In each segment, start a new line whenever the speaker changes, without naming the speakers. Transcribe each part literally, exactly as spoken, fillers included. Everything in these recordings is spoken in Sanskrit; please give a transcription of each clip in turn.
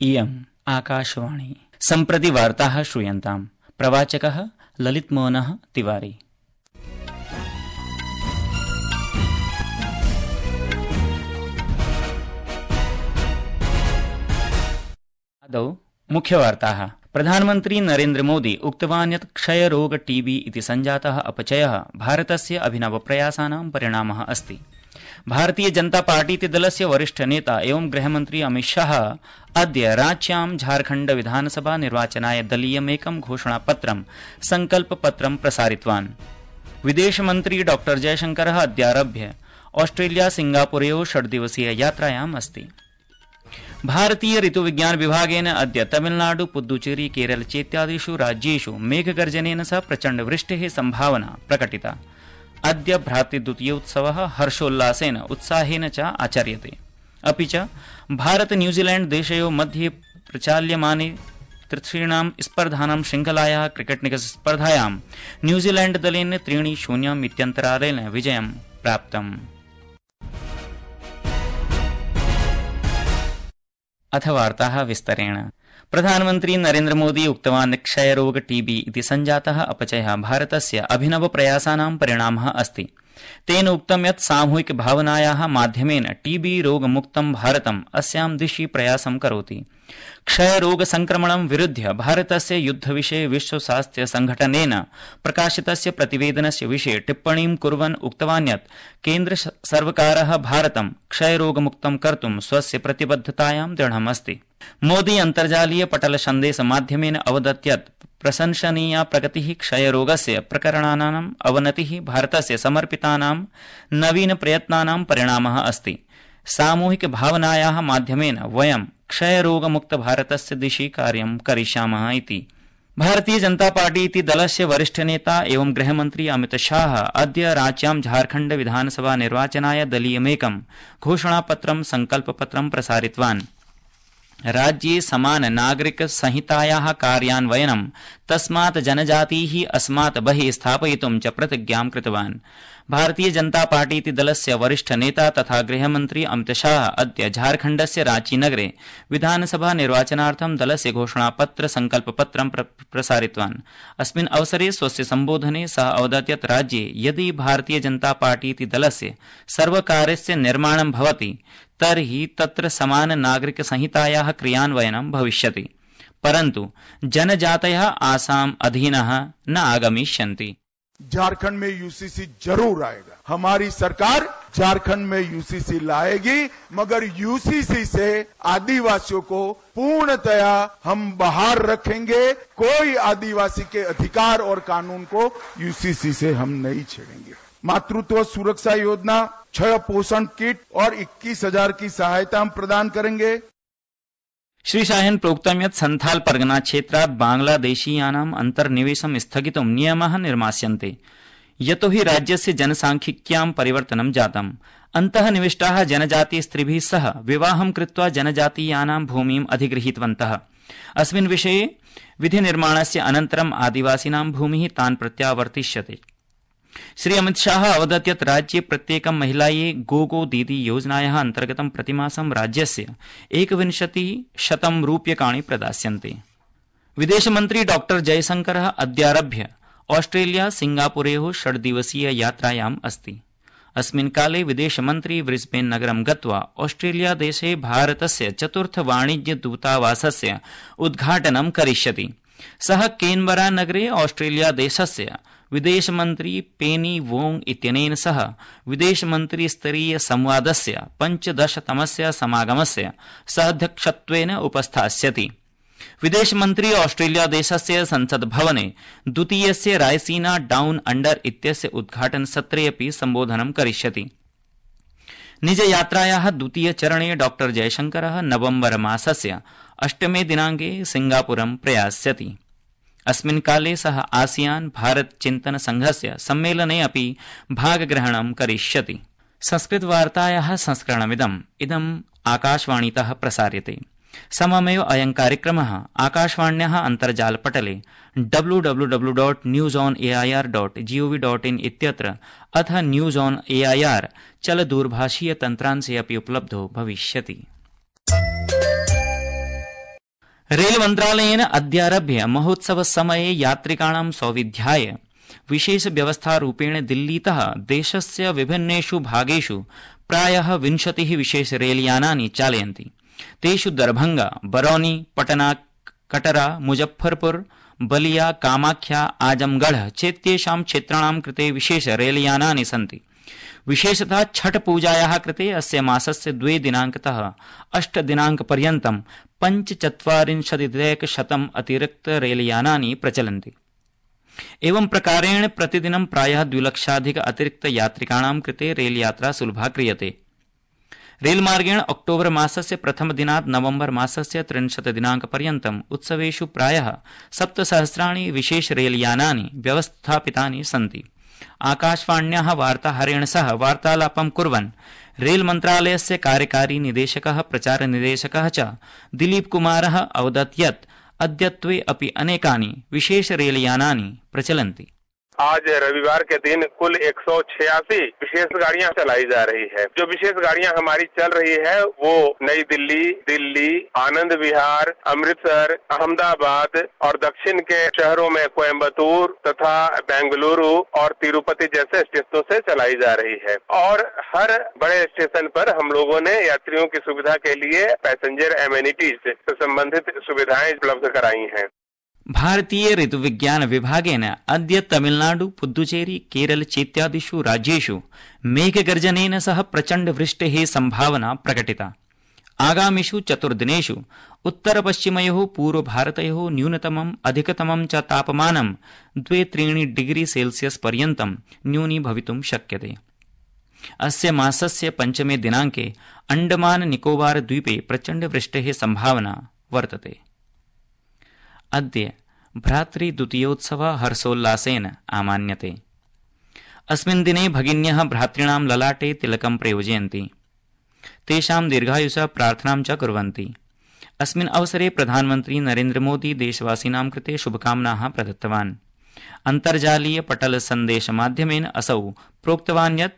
इयम् आकाशवाणी। सम्प्रति वार्ताः श्रूयन्ताम्। प्रवाचकः ललितमोहनः तिवारी। आदौ मुख्यवार्ताः। प्रधानमन्त्री नरेन्द्र मोदी उक्तवान् यत् क्षयरोग टीबी इति संजातः अपचयः भारतस्य अभिनवप्रयासानां परिणामः अस्ति। भारतीय जनता पार्टीति दलस्य वरिष्ठ नेता एवं गृहमन्त्री अमित शाह अद्य रांच्यां झारखण्ड विधानसभा निर्वाचनाय दलीयमेकं घोषणापत्रं संकल्पपत्रं प्रसारितवान्। विदेशमन्त्री डॉ जयशंकरः अद्यारभ्य ऑस्ट्रेलिया सिंगापुरयोः षड्दिवसीय यात्रायाम् अस्ति। भारतीय ऋतुविज्ञान विभागेन अद्य तमिलनाडु पुद्दुचेरी केरल चेत्यादिषु राज्येषु मेघगर्जनेन सह प्रचण्डवृष्टेः सम्भावना प्रकटिता। अद्य भ्रातृद्वितीयोत्सवः हर्षोल्लासेन उत्साहेन च आचर्यते। अपि च भारत न्यूजीलैण्ड देशयोः मध्ये प्रचाल्यमाने तृतीयां स्पर्धानां श्रृंखलायाः क्रिकेट निकष स्पर्धायां न्यूजीलैण्ड दलेन त्रीणि शून्यम् इत्यन्तरालेन विजयं प्राप्तम्। अथ वार्ताः विस्तरेण। प्रधानमन्त्री नरेन्द्र मोदी उक्तवान् क्षयरोग टीबी इति संजातः अपचयः भारतस्य अभिनवप्रयासानां परिणामः अस्ति। तेन उक्तं यत् सामूहिक भावनायाः माध्यमेन टीबी रोगमुक्तं भारतम् अस्यां दिशि प्रयासं करोति। क्षयरोग संक्रमणं विरुध्य भारतस्य युद्धविषये विश्व स्वास्थ्य संघटनेन प्रकाशितस्य प्रतिवेदनस्य विषये टिप्पणीं कुर्वन् उक्तवान् यत् केन्द्र सर्वकारः भारतं क्षयरोगमुक्तं कर्तुं स्वस्य प्रतिबद्धतायां दृढम् अस्ति। मोदी अन्तर्जालीय पटल सन्देश माध्यमेन अवदत् यत् प्रशंसनीया प्रगतिः क्षयरोगस्य प्रकरणानाम् अवनतिः भारतस्य समर्पितानां नवीन प्रयत्नानां परिणामः अस्ति। सामूहिक भावनायाः माध्यमेन वयं क्षयरोगमुक्त भारतस्य दिशि कार्यं करिष्यामः इति। भारतीय जनता पार्टी इति दलस्य वरिष्ठ नेता एवं गृहमन्त्री अमित शाह अद्य रांच्यां झारखण्ड विधानसभा निर्वाचनाय दलीयमेकं घोषणापत्रं संकल्पपत्रं प्रसारितवान्। राज्ये समान नागरिक संहितायाः कार्यान्वयनं तस्मात् जनजातीः अस्मात् बहिः स्थापयितुं च प्रतिज्ञां कृतवान्। भारतीय जनता पार्टी इति दलस्य वरिष्ठ नेता तथा गृहमन्त्री अमित शाह अद्य झारखण्डस्य रांची नगरे विधानसभा निर्वाचनार्थं दलस्य घोषणापत्र संकल्पपत्रं प्र प्रसारितवान्। अस्मिन् अवसरे स्वस्य सम्बोधने सः अवदत् यत् राज्ये यदि भारतीय जनता पार्टी इति दलस्य सर्वकारस्य निर्माणं भवति तर्हि तत्र समान नागरिक संहितायाः क्रियान्वयनं भविष्यति, परन्तु जनजातयः आसाम अधीनः न आगमिष्यन्ति।
झारखंड में यूसीसी जरूर आएगा। हमारी सरकार झारखंड में यूसीसी लाएगी, मगर यूसीसी से आदिवासियों को पूर्णतया हम बाहर रखेंगे। कोई आदिवासी के अधिकार और कानून को यूसीसी से हम नहीं छेड़ेंगे। मातृत्व सुरक्षा योजना, छह पोषण किट और इक्कीस हजार की सहायता हम प्रदान करेंगे।
श्री शाहेन प्रोक्तं यत् संथाल परगना क्षेत्रात् बांग्लादेशीयानाम् अन्तर्निवेशं स्थगितुं नियमाः निर्मास्यन्ते, यतो हि राज्यस्य जनसांख्यिक्यां परिवर्तनं जातम्। अन्तः निविष्टाः जनजातीय स्त्रीभिः सह विवाहं कृत्वा जनजातीयानां भूमिम् अधिगृहीतवन्तः। अस्मिन् विषये विधिनिर्माणस्य अनन्तरम् आदिवासिनां भूमिः तान् प्रत्यावर्तिष्यते। श्री अमित शाह अवदत् यत् राज्ये प्रत्येकं महिलायै गो गो दीदी योजनायाः अन्तर्गतं प्रतिमासं राज्यस्य एकविंशतिः शतं रूप्यकाणि प्रदास्यन्ते। विदेशमन्त्री डॉ जयशंकरः अद्यारभ्य ऑस्ट्रेलिया सिंगापुरयोः षड्दिवसीय यात्रायाम् अस्ति। अस्मिन् काले विदेशमन्त्री ब्रिस्बेन नगरं गत्वा ऑस्ट्रेलिया देशे भारतस्य चतुर्थ वाणिज्य दूतावासस्य उद्घाटनं करिष्यति। सः केनबरा नगरे ऑस्ट्रेलिया देशस्य विदेशमन्त्री पेनी वोंग इत्यनेन सह विदेशमन्त्री स्तरीय संवादस्य पञ्चदशतमस्य समागमस्य सहाध्यक्षत्वेन उपस्थास्यति। विदेशमन्त्री ऑस्ट्रेलिया देशस्य संसद भवने द्वितीयस्य रायसीना डाउन अंडर इत्यस्य उद्घाटन सत्रे अपि सम्बोधनं करिष्यति। निजयात्रायाः द्वितीय चरणे डॉ जयशंकरः नवम्बर मासस्य अष्टमे दिनाङ्के सिंगापुरं प्रयास्यति। अस्मिन् काले सः आसियान भारत चिन्तन संघस्य सम्मेलने अपि भागग्रहणं करिष्यति। संस्कृतवार्तायाः संस्करणमिदम् इदम् आकाशवाणीतः प्रसार्यते। सममेव अयं कार्यक्रमः आकाशवाण्याः अन्तर्जालपटले W W W dot news on A I R dot G O V dot in इत्यत्र अथ news on A I R चलदूरभाषीय तन्त्रांशे अपि उपलब्धो भविष्यति। रेल मन्त्रालयेन अद्यारभ्य महोत्सव समये यात्रिकाणां सौविध्याय विशेष व्यवस्थारूपेण दिल्लीतः देशस्य विभिन्नेषु भागेषु प्रायः विंशतिः विशेष रेलयानानि चालयन्ति। तेषु दरभंगा, बरौनी, पटना, कटरा, मुजफ्फरपुर, बलिया, कामाख्या, आजमगढ़ चेत्येषां क्षेत्राणां कृते विशेष रेलयानानि सन्ति। विशेषतः छठ पूजायाः कृते अस्य मासस्य द्वे दिनांकतः अष्ट दिनांकपर्यन्तं पञ्चचत्वारिंशदधिकशतम् अतिरिक्त रेलयानानि प्रचलन्ति। एवं प्रकारेण प्रतिदिनं प्रायः द्विलक्षाधिक अतिरिक्त यात्रिकाणां कृते रेलयात्रा सुलभा क्रियते। रेलमार्गेण अक्टोबर मासस्य प्रथमदिनात् नवम्बर मासस्य त्रिंशत् दिनांकपर्यन्तम् उत्सवेषु प्रायः सप्तसहस्राणि विशेष रेलयानानि व्यवस्थापितानि सन्ति। आकाशवाण्याः वार्ताहरेण सह वार्तालापं कुर्वन् रेल मन्त्रालयस्य कार्यकारी निदेशकः प्रचार निदेशकः च दिलीप कुमारः अवदत् यत् अद्यत्वे अपि अनेकानि विशेष रेलयानानि प्रचलन्ति।
आज रविवार के दिन कुल एक सौ छियासी विशेष गाड़ियां चलाई जा रही है। जो विशेष गाड़ियां हमारी चल रही है वो नई दिल्ली, दिल्ली, आनंद विहार, अमृतसर, अहमदाबाद और दक्षिण के शहरों में कोयम्बतूर तथा बेंगलुरु और तिरुपति जैसे स्टेशनों से चलाई जा रही है। और हर बड़े स्टेशन पर हम लोगों ने यात्रियों की सुविधा के लिए पैसेंजर एमेनिटीज से संबंधित सुविधाएं उपलब्ध कराई हैं।
भारतीय ऋतुविज्ञान विभागेन अद्य तमिलनाडु, पुद्दुचेरी, केरल चेत्यादिषु राज्येषु मेघगर्जनेन सह प्रचण्ड वृष्टेः संभावना प्रकटिता। आगामिषु चतुर्दिनेषु उत्तरपश्चिमयोः पूर्वभारतयोः न्यूनतमम् अधिकतमं च तापमानं द्वे त्रीणि डिग्री सेल्सियस् पर्यन्तं न्यूनीभवितुं शक्यते। अस्य मासस्य पञ्चमे दिनाङ्के अण्डमान निकोबार द्वीपे प्रचण्ड वृष्टेः संभावना वर्तते। अद्य भ्रातृद्वितीयोत्सवः हर्षोल्लासेन आमान्यते। अस्मिन् दिने भगिन्यः भ्रातॄणां ललाटे तिलकं प्रयोजयन्ति, तेषां दीर्घायुषः प्रार्थनां च कुर्वन्ति। अस्मिन् अवसरे प्रधानमन्त्री नरेन्द्र मोदी देशवासिनां कृते शुभकामनाः प्रदत्तवान्। अन्तर्जालीय पटल सन्देशमाध्यमेन असौ प्रोक्तवान् यत्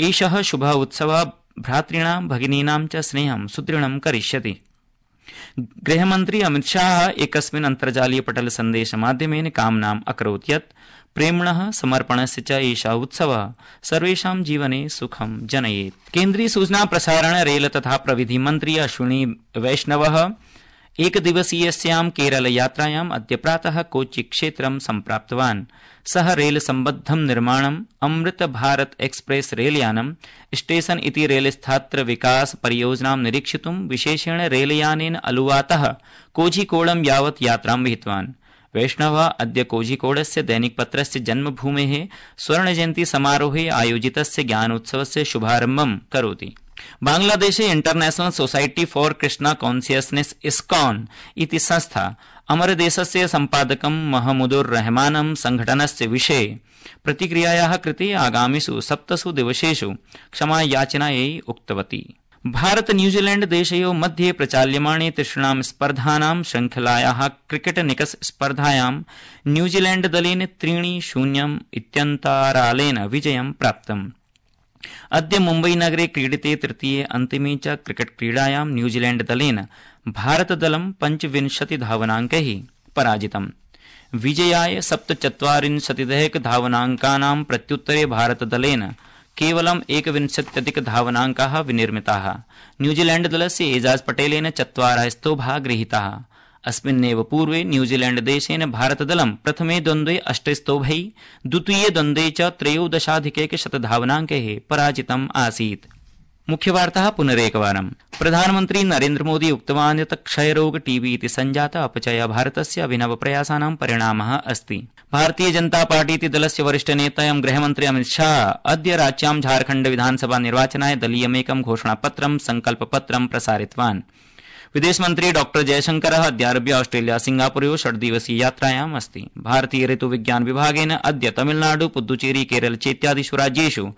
एषः शुभ उत्सवः भ्रातॄणां भगिनीनां च स्नेहं सुदृढं करिष्यति। गृहमन्त्री अमित शाह एकस्मिन् अन्तर्जालीय पटल सन्देशमाध्यमेन कामनाम् अकरोत् यत् प्रेम्णः समर्पणस्य च एषः उत्सवः सर्वेषां जीवने सुखं जनयेत्। केन्द्रीय सूचना प्रसारण रेल तथा प्रविधि मन्त्री अश्विनी वैष्णवः एकदिवसीयस्यां केरल यात्रायाम् अद्य प्रातः कोच्चि क्षेत्रं सम्प्राप्तवान्। सः रेल सम्बद्धं निर्माणम् अमृत भारत एक्सप्रेस रेलयानं स्टेशन इति रेलस्थात्र विकास परियोजनां निरीक्षितुं विशेषेण रेलयानेन अलुवातः कोझिकोडं यावत् यात्रां विहितवान्। वैष्णवः अद्य कोझिकोडस्य दैनिकपत्रस्य जन्मभूमेः स्वर्णजयन्ती समारोहे आयोजितस्य ज्ञानोत्सवस्य शुभारम्भं करोति। बांग्लादेशे international society for Krishna consciousness ISKCON इति संस्था अमरदेशस्य सम्पादकं महमूदुर रहमानं संघटनस्य विषये प्रतिक्रियायाः कृते आगामिषु सप्तसु दिवसेषु क्षमायाचनायै उक्तवती। भारत न्यूजीलैंड देशयोः मध्ये प्रचाल्यमाणे तिसृणां स्पर्धानां श्रृंखलायाः क्रिकेट निकष स्पर्धायां न्यूजीलैंड दलेन त्रीणि शून्यम् इत्यन्तरालेन विजयं प्राप्तम्। अद्य मुम्बईनगरे क्रीडिते तृतीये अन्तिमे च क्रिकेट क्रीडायां न्यूजीलैंड दलेन भारतदलं पञ्चविंशति धावनाङ्कैः पराजितम्। विजयाय सप्तचत्वारिंशदधिक धावनाङ्कानां प्रत्युत्तरे भारतदलेन केवलम् एकविंशत्यधिक धावनाङ्काः विनिर्मिताः। न्यूजीलैंड दलस्य एजाज पटेलेन चत्वारः स्तोभाः गृहीताः। अस्मिन्नेव पूर्वे न्यूजीलैंड देशेन भारतदलं प्रथमे द्वन्द्वे अष्टस्तोभैः, द्वितीये द्वन्द्वे च त्रयोदशाधिकैकशतधावनाङ्कैः पराजितम् आसीत्। मुख्यवार्ताः पुनरेकवारम्। प्रधानमन्त्री नरेन्द्र मोदी उक्तवान् यत् क्षयरोग टीबी इति सञ्जात अपचयः भारतस्य अभिनवप्रयासानां परिणामः अस्ति। भारतीय जनता पार्टी इति दलस्य वरिष्ठनेता एवं गृहमन्त्री अमित शाह अद्य राज्यां झारखण्ड विधानसभा निर्वाचनाय दलीयमेकं घोषणापत्रं संकल्पपत्रं प्रसारितवान्। विदेशमन्त्री डॉक्टर जयशंकरः अद्यारभ्य ऑस्ट्रेलिया सिंगापुरयोः षड्दिवसीय यात्रायाम् अस्ति। भारतीय ऋतुविज्ञान विभागेन अद्य तमिलनाडु, पुद्दुचेरी, केरल चेत्यादिषु राज्येषु